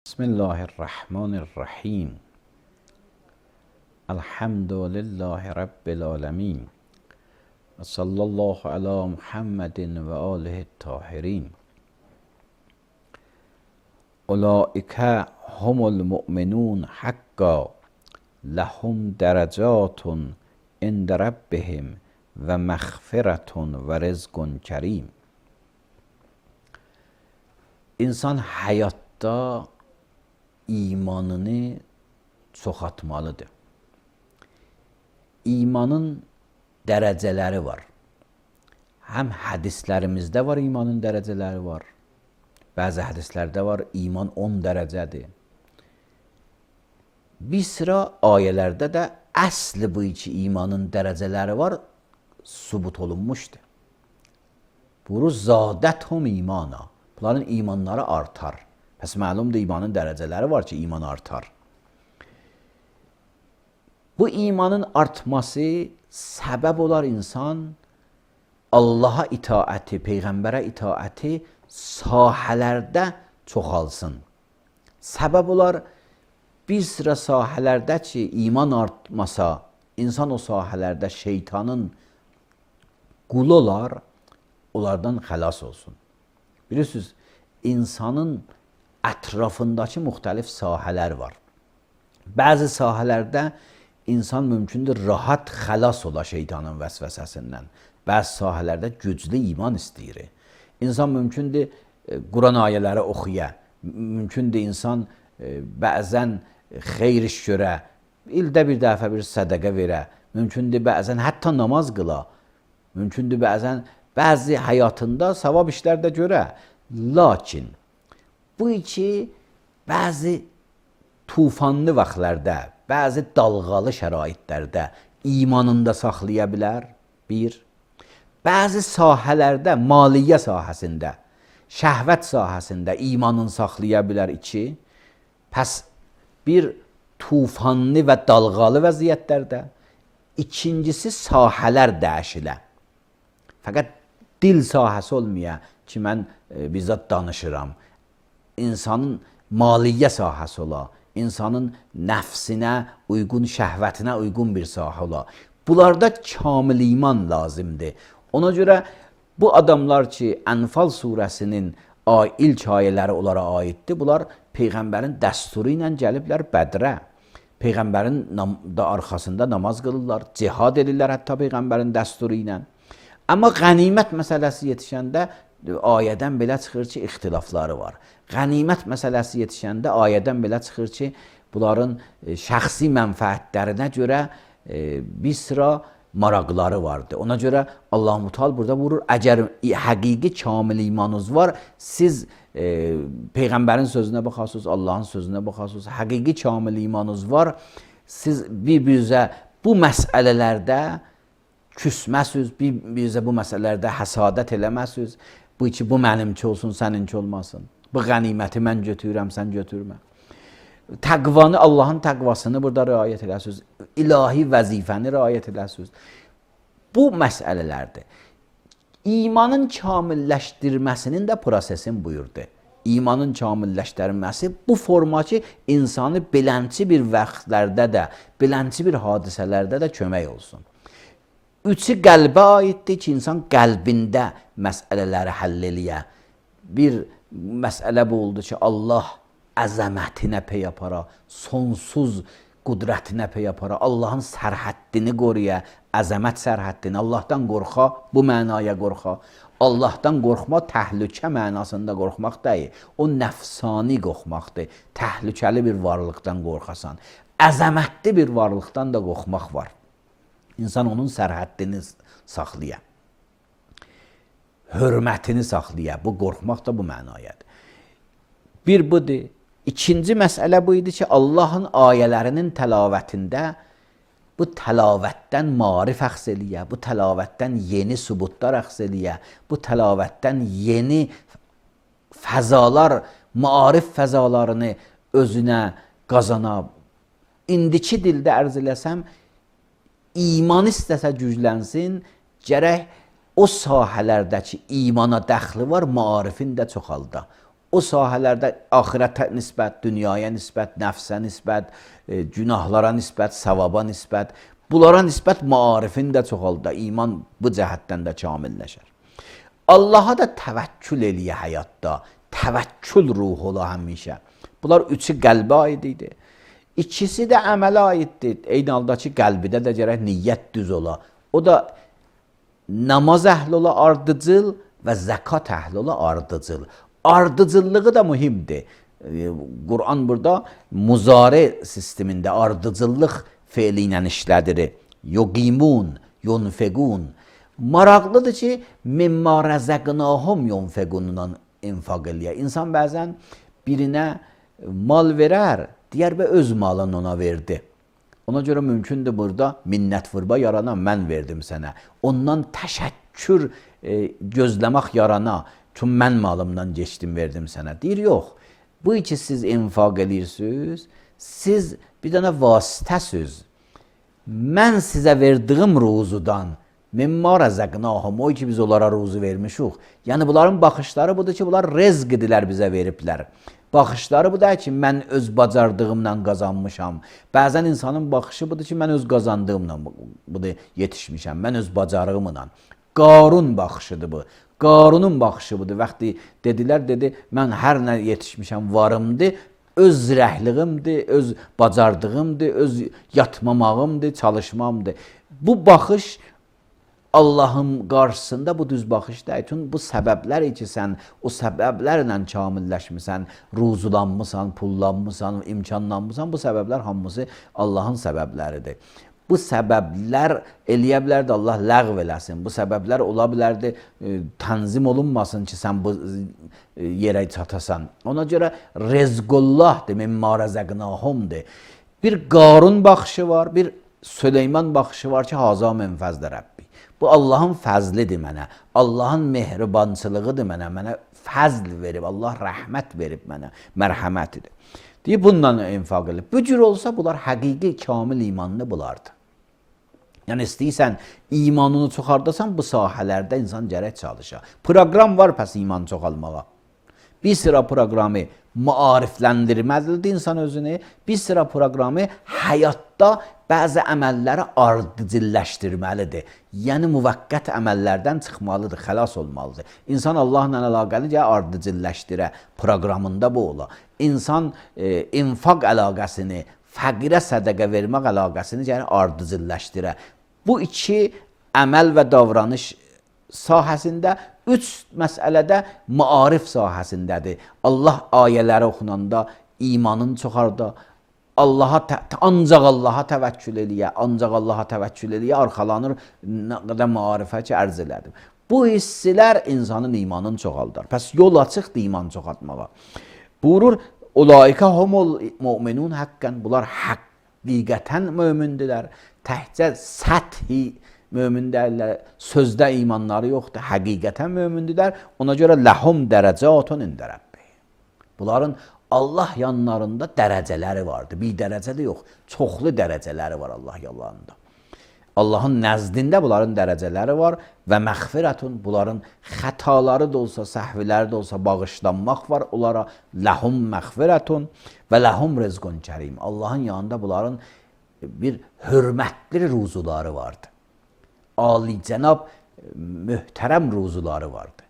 Bismillahirrahmanirrahim. Elhamdülillahi Rabbil alemin. Ve sallallahu ala Muhammedin ve alihi tahirin. Ulaike humul mu'minun hakka. Lahum derecatun inde rabbihim ve mağfiretun ve rizqun kerim. İnsan hayatta imanını çoxaltmalıdır. İmanın dərəcələri var. Həm hədislərimizdə var imanın dərəcələri var. Bəzi hədislərdə var iman 10 dərəcədir. Bir sıra ayələrdə də əsli bu iki imanın dərəcələri var, sübut olunmuşdur. Buyurur, zadəthum imana. Bunların imanları artar. Pəs məlumdur imanın dərəcələri var ki, iman artar. Bu imanın artması səbəb olar insan Allaha itaəti, Peyğəmbərə itaəti sahələrdə çoxalsın. Səbəb olar bir sıra sahələrdə ki, iman artmasa, insan o sahələrdə şeytanın qulu olar, onlardan xəlas olsun. Bilirsiniz, insanın ətrafındakı müxtəlif sahələr var. Bəzi sahələrdə insan mümkündür rahat xəlas ola şeytanın vəsvəsəsindən. Bəzi sahələrdə güclü iman istəyir. İnsan mümkündür Quran ayələri oxuya, mümkündür insan bəzən xeyr iş görə, ildə bir dəfə bir sədəqə verə, mümkündür bəzən hətta namaz qıla, mümkündür bəzi həyatında savab işlər də görə. Lakin bu iki bəzi tufanlı vaxtlarda, bəzi dalğalı şəraitlərdə imanında saxlaya bilər, bir. Bəzi sahələrdə, maliyyə sahəsində, şəhvət sahəsində imanını saxlaya bilər, iki. Pəs bir tufanlı və dalğalı vəziyyətlərdə, ikincisi sahələr dəyişilə. Fəqət dil sahəsi olmaya ki, mən bizzat danışıram. İnsanın maliyyə sahəsi ola, insanın nəfsinə uyğun, şəhvətinə uyğun bir sahə ola. Bunlarda kamil iman lazımdır. Ona görə bu adamlar ki, Ənfal surəsinin ilk ayələri onlara aiddir. Bunlar Peyğəmbərin dəsturu ilə gəliblər Bədrə. Peyğəmbərin arxasında namaz qılırlar, cihad edirlər hətta Peyğəmbərin dəsturu ilə. Amma qənimət məsələsi yetişəndə ayədən belə çıxır ki, ixtilafları var. Qənimət məsələsi yetişəndə ayədən belə çıxır ki, bunların şəxsi mənfəətlərinə görə bir sıra maraqları vardır. Ona görə Allah-u Teala burada vurur, əgər həqiqi kamil imanınız var, siz Peyğəmbərin sözünə baxarsınız, Allahın sözünə baxarsınız, həqiqi kamil imanınız var, siz bir-birinizə bu məsələlərdə küsməsiz, bir-birinizə bu məsələlərdə həsadət eləməsiz, bu iki, bu mənimki olsun, səninki olmasın. Bu qəniməti mən götürürəm, sən götürmə. Təqvanı, Allahın təqvasını burada riayət edəsiniz. İlahi vəzifəni riayət edəsiniz. Bu məsələlərdir. İmanın kamilləşdirməsinin də prosesin buyurdu. İmanın kamilləşdirilməsi bu forma ki, insanı belənçi bir vaxtlarda da, belənçi bir hadisələrdə də kömək olsun. Üçü qəlbə aiddir ki, insan qəlbində məsələləri həll eləyə. Bir məsələ bu oldu ki, Allah əzəmətinə pey apara, sonsuz qudrətinə pey apara, Allahın sərhəddini qoruya, əzəmət sərhəddini, Allahdan qorxa, bu mənaya qorxa. Allahdan qorxma təhlükə mənasında qorxmaq deyil, o nəfsani qorxmaqdır, təhlükəli bir varlıqdan qorxasan. Əzəmətli bir varlıqdan da qorxmaq var. İnsan onun sərhəddini saxlaya, hörmətini saxlaya, bu qorxmaq da bu mənayadır. Bir budur. İkinci məsələ bu idi ki, Allahın ayələrinin təlavətində bu təlavətdən marif əxz eləyə, bu təlavətdən yeni sübutlar əxz eləyə, bu təlavətdən yeni fəzalar, maarif fəzalarını özünə qazana. İndiki dildə ərz eləsəm, iman istəsə güclənsin, gərək o sahələrdəki imana dəxli var, maarifin də çoxalda. o sahələrdə axirətə nisbət, dünyaya nisbət, nəfsə nisbət, günahlara nisbət, savaba nisbət, bunlara nisbət maarifin də çoxalda, iman bu cəhətdən də kamilləşər. Allaha da təvəkkül eləyə həyatda, təvəkkül ruhu ola həmişə. Bunlar üçü qəlbə aid idi. İkisi də əmələ aiddir. Eyni halda ki, qəlbidə də gərək niyyət düz ola. O da namaz əhli ola ardıcıl və zəkat əhli ola ardıcıl. Ardıcıllığı da mühimdir. Quran burada muzari sistemində ardıcıllıq feili ilə işlədir. Yuqimun, yunfequn. Maraqlıdır ki, mimma rəzəqnahum yunfequndan infaq eləyə. İnsan bəzən birinə mal verər, deyər və öz malını ona verdi. Ona görə mümkündür burada minnət vurba yarana, mən verdim sənə. Ondan təşəkkür gözləmək yarana, çünki mən malımdan geçdim, verdim sənə. Deyir, yox, bu iki siz infaq edirsiniz, siz bir dənə vasitəsiz. Mən sizə verdiyim ruzudan, mimma rəzəqnahum, o ki biz onlara ruzu vermişik. Yəni bunların baxışları budur ki, bunlar rezq idilər bizə veriblər. Baxışları bu da ki, mən öz bacardığımla qazanmışam. Bəzən insanın baxışı budur ki, mən öz qazandığımla yetişmişəm, mən öz bacarığımla. Qarun baxışıdır bu. Qarunun baxışı budur. Vaxtı dedilər, dedi, mən hər nə yetişmişəm, varımdır, öz zirəhliyimdir, öz bacardığımdır, öz yatmamağımdır, çalışmamdır. Bu baxış Allahın qarşısında bu düz baxış deyil. Çünki bu səbəblər ki, sən o səbəblərlə kamilləşmirsən, ruzulanmısan, pullanmısan, imkanlanmısan, bu səbəblər hamısı Allahın səbəbləridir. Bu səbəblər eləyə bilərdi, Allah ləğv eləsin. Bu səbəblər ola bilərdi, tənzim olunmasın ki, sən bu yerə çatasan. Ona görə rezqullahdır, mimma rəzəqnahumdur. Bir Qarun baxışı var, bir Süleyman baxışı var ki, haza min fəzli Rəbbi. Bu Allahın fəzlidir mənə, Allahın mehribançılığıdır mənə fəzl verib, Allah rəhmət verib mənə, mərhəmətidir. Deyib, bundan infaq edib. Bu cür olsa, bunlar həqiqi, kamil imanlı bulardı. Yəni, istəyirsən, imanını çoxardasan, bu sahələrdə insan gərək çalışa. Proqram var pəs iman çoxalmağa. Bir sıra proqramı maarifləndirməlidir insan özünü, bir sıra proqramı həyatda bəzi əməlləri ardıcılləşdirməlidir. Yəni, müvəqqət əməllərdən çıxmalıdır, xəlas olmalıdır. İnsan Allahla əlaqəli ardıcılləşdirə, proqramında bu ola. İnsan infaq əlaqəsini, fəqirə sədəqə vermək əlaqəsini ardıcılləşdirə. Bu iki əməl və davranış sahəsində, üç məsələdə maarif sahəsindədir. Allah ayələri oxunanda imanın çoxarda, ancaq Allaha təvəkkül eləyə, ancaq Allaha təvəkkül eləyə, arxalanır, nə qədər maarifə ki, ərz elədim. Bu hissilər insanın imanını çoxaldar. Pəs yol açıqdır iman çoxaltmağa. Buyurur, ulaika humul mu'minun haqqan, bunlar həqiqətən mömündürlər. Təhcə səthi mömin deyirlər, sözdə imanları yoxdur, həqiqətən mömündürlər. Ona görə ləhum dərəcatun ində Rəbbi. Bunların Allah yanlarında dərəcələri vardır. Bir dərəcəli yox, çoxlu dərəcələri var Allah yanlarında. Allahın nəzdində bunların dərəcələri var və məğfirətun, bunların xətaları da olsa, səhviləri də olsa bağışlanmaq var onlara. Ləhum məğfirətun və ləhum rizqun kərim. Allahın yanında bunların bir hörmətli ruzuları vardır. Alicənab, möhtərəm ruzuları vardır.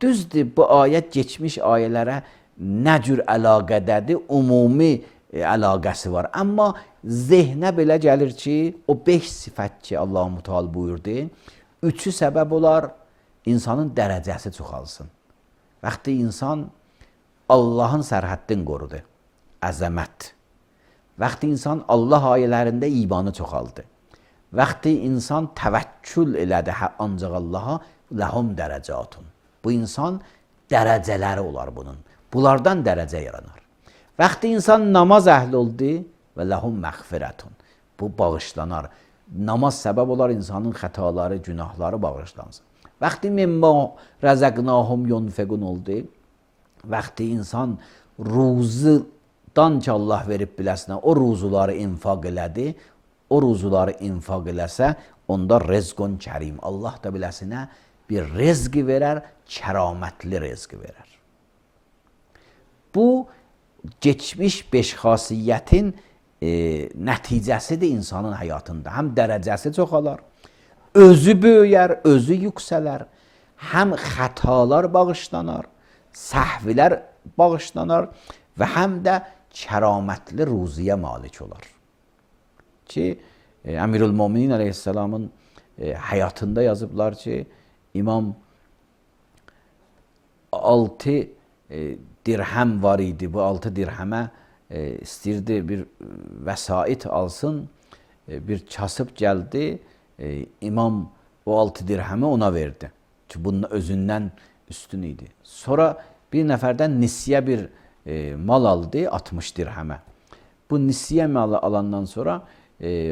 Düzdür, bu ayət keçmiş ayələrə nə cür əlaqədədir, ümumi əlaqəsi var. Amma zehnə belə gəlir ki, o 5 sifət ki, Allah-u Teala buyurdu, 3-ü səbəb olar, insanın dərəcəsi çoxalsın. Vaxtı insan Allahın sərhəddini qorudu, əzəmət. Vaxtı insan Allah ayələrində imanı çoxaldı. Vaxtı insan təvəkkül elədi ancaq Allaha, ləhum dərəcatun. Bu insan dərəcələri olar bunun. Bunlardan dərəcə yaranar. Vaxtı insan namaz əhli oldu və ləhum məğfirətun. Bu bağışlanar. Namaz səbəb olar insanın xətaları, günahları bağışlansın. Vaxtı mimma rəzəqnahum yunfiqun oldu. Vaxtı insan ruzudan ki Allah verib biləsinə, o ruzuları infaq elədi. O ruzuları infaq eləsə, onda rezqun kərim. Allah da biləsinə bir rezqi verər, kəramətli rezqi verər. Bu, geçmiş 5 xasiyyətin nəticəsidir insanın həyatında. Həm dərəcəsi çoxalar, özü böyüyər, özü yüksələr, həm xətalar bağışlanar, səhvlər bağışlanar və həm də kəramətli ruziyə malik olar. Ki, Əmirül-Müminin əleyhisselamın həyatında yazıblar ki, İmam 6 dirhəm var idi. Bu 6 dirhəmə istəyirdi bir vəsait alsın. Bir kasıb gəldi. İmam o 6 dirhəmi ona verdi. Ki, bunun özündən üstün idi. Sonra bir nəfərdən nisiyə bir mal aldı 60 dirhəmə. Bu nisiyə malı alandan sonra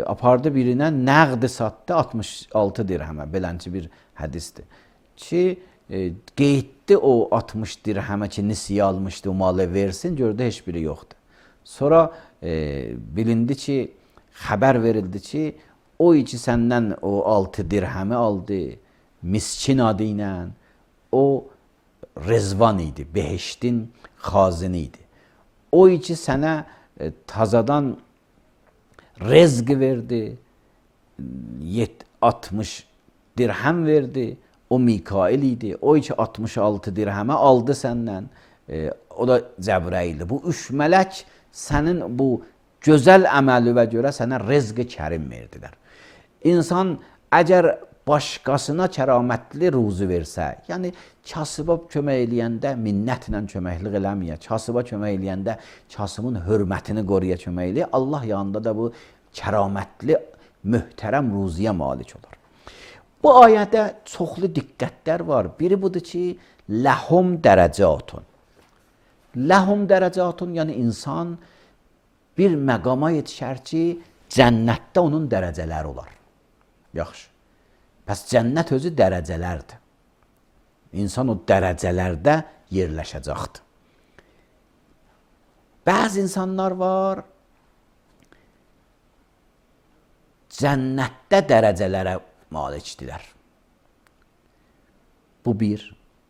apardı birinə nəqdi satdı 66 dirhəmə. Belənci bir hədisdir. Ki, qeyddi o 60 dirhəmə ki, nisiyə almışdı, o malı versin, gördü heç biri yoxdur. Sonra bilindi ki, xəbər verildi ki, o iki səndən o 6 dirhəmi aldı, miskin adı ilə, o Rezvan idi, behiştin xazini idi. O iki sənə tazadan rezq verdi, 60 dirhəm verdi, o Mikail idi, o iki 66 dirhəmə aldı səndən, o da Cəbrəyildir. Bu 3 mələk sənin bu gözəl əməlivə görə sənə rezq-i kərim verdilər. İnsan əgər başqasına kəramətli ruzu versə, yəni kasıba kömək eləyəndə minnətlə köməklik eləməyə, kasıba kömək eləyəndə kasımın hörmətini qoruya kömək eləyə, Allah yanında da bu kəramətli, möhtərəm ruziyə malik olur. Bu ayədə çoxlu diqqətlər var. Biri budur ki, ləhum dərəcatun. Ləhum dərəcatun, yəni insan bir məqama yetişər ki, cənnətdə onun dərəcələri olar. Yaxşı. Pəs cənnət özü dərəcələrdir. İnsan o dərəcələrdə yerləşəcəkdir. Bəzi insanlar var, cənnətdə dərəcələrə malikdirlər. Bu bir.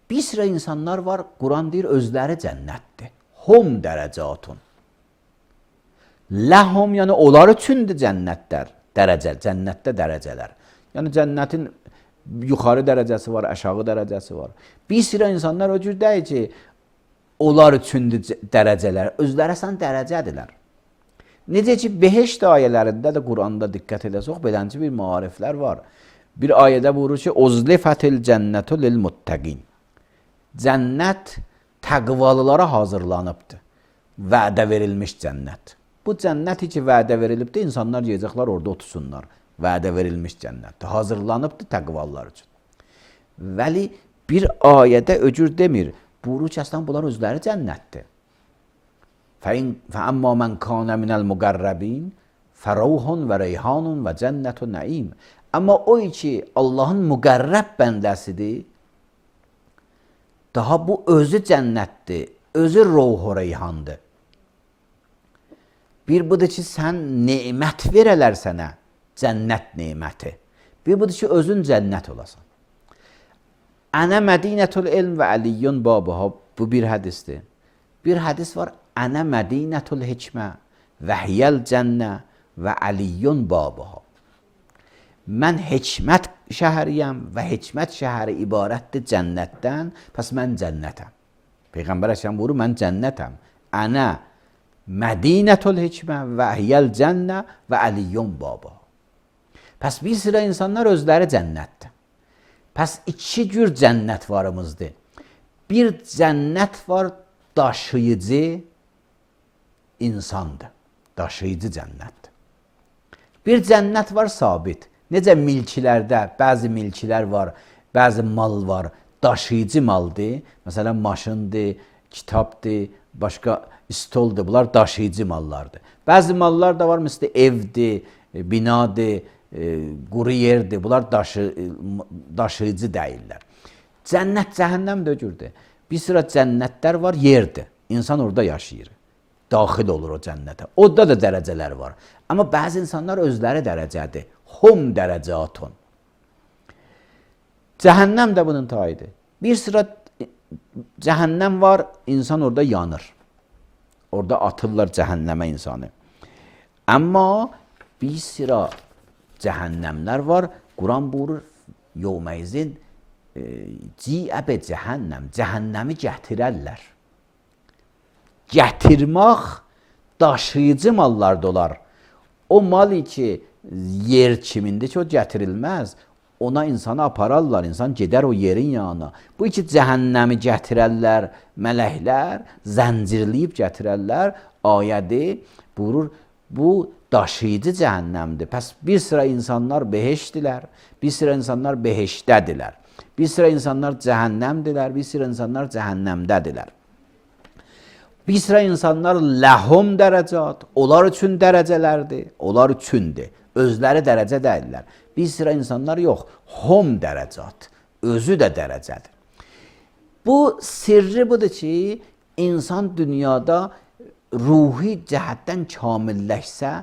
Bir sıra insanlar var, Quran deyir, özləri cənnətdir. Hum dərəcatun. Ləhum, yəni onlar üçündür cənnətlər, cənnətdə dərəcələr. Yəni cənnətin yuxarı dərəcəsi var, aşağı dərəcəsi var. Bir sıra insanlar o cür deyir ki, onlar üçündür dərəcələr, özləri əsən dərəcədirlər. Necə ki, behişt ayələrində də Quranda diqqət edəsək, belənci bir maariflər var. Bir ayədə buyurur ki, Uzlifətil cənnətu lil muttəqin. Cənnət təqvalılara hazırlanıbdır. Vədə verilmiş cənnət. Bu cənnəti ki, vədə verilibdir, insanlar yiyəcəklər, orada otursunlar. Vədə verilmiş cənnətdir. Hazırlanıbdır təqvalılar üçün. Vəli bir ayədə öcür demir. Buyurur ki, əslən bunlar özləri cənnətdir. فَأَمَّا مَنْ كَانَ مِنَ الْمُقَرَّبِينَ فَرَوْحٌ وَرَيْحَانٌ وَجَنَّةُ نَعِيمٌ. Amma o ki Allahın müqərrəb bəndəsidir, daha bu özü cənnətdir, özü ruhu reyhandır. Bir budur ki, sən nemət verələr sənə, cənnət neməti. Bir budur ki, özün cənnət olasan. Ənə mədinətul ilm və əliyyun babuha. Bu bir hədisdir. Bir hədis var. Ənə mədinətul hikmə və hiyəl cənnə və əliyyun babuha. Mən hikmət şəhəriyəm və hikmət şəhəri ibarətdir cənnətdən, pəs mən cənnətəm. Peyğəmbər əleyhissalam buyurur, mən cənnətəm. Ənə Mədinətul hikmə və əhyəl cənnə və əliyyun baba. Pəs bir sıra insanlar özləri cənnətdir. Pəs iki cür cənnət varımızdır. Bir cənnət var, daşıyıcı insandır. Daşıyıcı cənnətdir. Bir cənnət var, sabit. Necə milkilərdə, bəzi milkilər var, bəzi mal var, daşıyıcı maldır. Məsələn, maşındır, kitabdır, başqa stoldur. Bunlar daşıyıcı mallardır. Bəzi mallar da var, məsələn, evdir, binadır, quru yerdir. Bunlar daşıyıcı deyirlər. Cənnət, cəhənnəm də öcürdür. Bir sıra cənnətlər var, yerdir. İnsan orada yaşayır. Daxil olur o cənnətə. Orada da dərəcələr var. Amma bəzi insanlar özləri dərəcədir. Hum dərəcatun. Cəhənnəm də bunun tayıdır. Bir sıra cəhənnəm var, insan orada yanır. Orada atırlar cəhənnəmə insanı. Amma bir sıra cəhənnəmlər var. Quran buyurur, yevmeyzin ci'əbə cəhənnəm. Cəhənnəmi gətirərlər. Gətirmək daşıyıcı mallarda olar. O mal ki yer kimindir ki o gətirilməz. Ona insanı apararlar, insan gedər o yerin yanına. Bu iki cəhənnəmi gətirərlər, mələklər zəncirləyib gətirərlər. Ayədi buyurur, bu daşıyıcı cəhənnəmdir. Pəs bir sıra insanlar beheşdilər, bir sıra insanlar beheşdədirlər. Bir sıra insanlar cəhənnəmdirlər, bir sıra insanlar cəhənnəmdədirlər. Bir sıra insanlar ləhum dərəcat, onlar üçün dərəcələrdir, onlar üçündür. Özləri dərəcə deyirlər. Bir sıra insanlar yox, hum dərəcat, özü də dərəcədir. Bu sirri budur ki, insan dünyada ruhi cəhətdən kamilləşsə,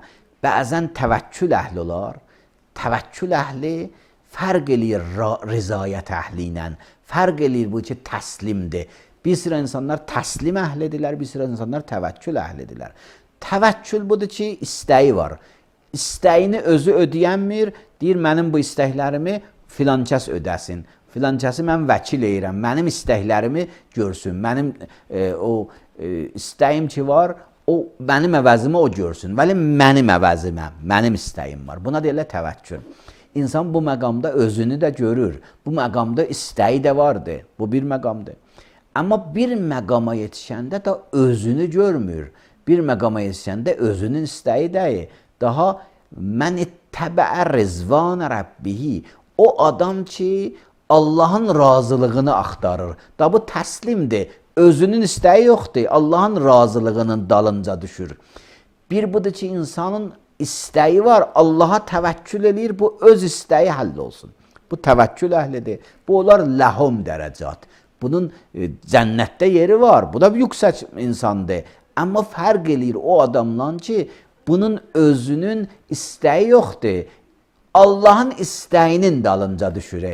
bəzən təvəkkül əhli olar. Təvəkkül əhli fərq eləyir rizayət əhli ilə, fərq eləyir bu ki, təslimdir. Bir sıra insanlar təslim əhlidirlər, bir sıra insanlar təvəkkül əhlidirlər. Təvəkkül budur ki, istəyi var. İstəyini özü ödəyənmir, deyir, mənim bu istəklərimi filankəs ödəsin. Filankəsi mən vəkil edirəm, mənim istəklərimi görsün. Mənim istəyim ki var, o mənim əvəzimə o görsün. Vəli mənim əvəzimə, mənim istəyim var. Buna deyirlər təvəkkül. İnsan bu məqamda özünü də görür. Bu məqamda istəyi də vardır. Bu bir məqamdır. Amma bir məqama yetişəndə də özünü görmür. Bir məqama yetişəndə özünün istəyi deyil. Daha mən ittəbəə rizvanə rəbbihi. O adam ki, Allahın razılığını axtarır. Da bu təslimdir. Özünün istəyi yoxdur. Allahın razılığının dalınca düşür. Bir budur ki, insanın istəyi var. Allaha təvəkkül eləyir. Bu öz istəyi həll olsun. Bu təvəkkül əhlidir. Bu olar ləhum dərəcat. Bunun cənnətdə yeri var. Bu da yüksək insandır. Amma fərq eləyir o adamdan ki, bunun özünün istəyi yoxdur. Allahın istəyinin dalınca düşür.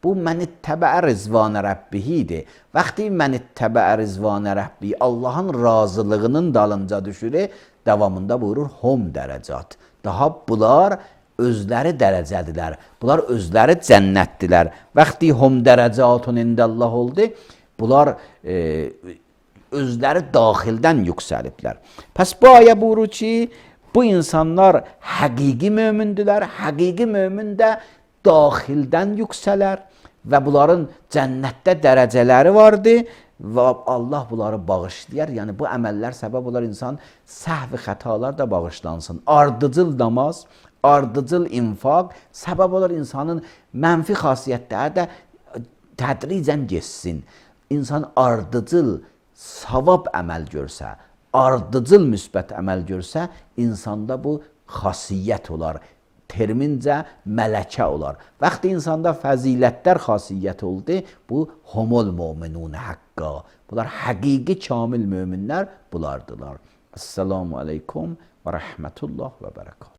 Bu mən ittəbəə rizvanə rəbbihidir. Vaxtı mən ittəbəə rizvanə rəbbihi Allahın razılığının dalınca düşür. Davamında buyurur hum dərəcat. Daha bunlar özləri dərəcədirlər. Bunlar özləri cənnətdirlər. Vaxtı hum dərəcatun indəllah oldu. Bunlar özləri daxildən yüksəliblər. Pəs bu ayə buyurur ki, bu insanlar həqiqi mömündülər. Həqiqi mömün də daxildən yüksələr və bunların cənnətdə dərəcələri vardır və Allah bunları bağışlayar. Yəni bu əməllər səbəb olar insan səhv xətalar da bağışlansın. Ardıcıl namaz, ardıcıl infaq səbəb olar insanın mənfi xasiyyətləri də tədricən geçsin. İnsan ardıcıl savab əməl görsə, ardıcıl müsbət əməl görsə, insanda bu xasiyyət olar. Termincə mələkə olar. Vaxtı insanda fəzilətlər xasiyyət oldu, bu humul mu'minun haqqa. Bunlar həqiqi kamil möminlər bulardılar. Esselamu aleykum və rəhmətullah və bərəkət.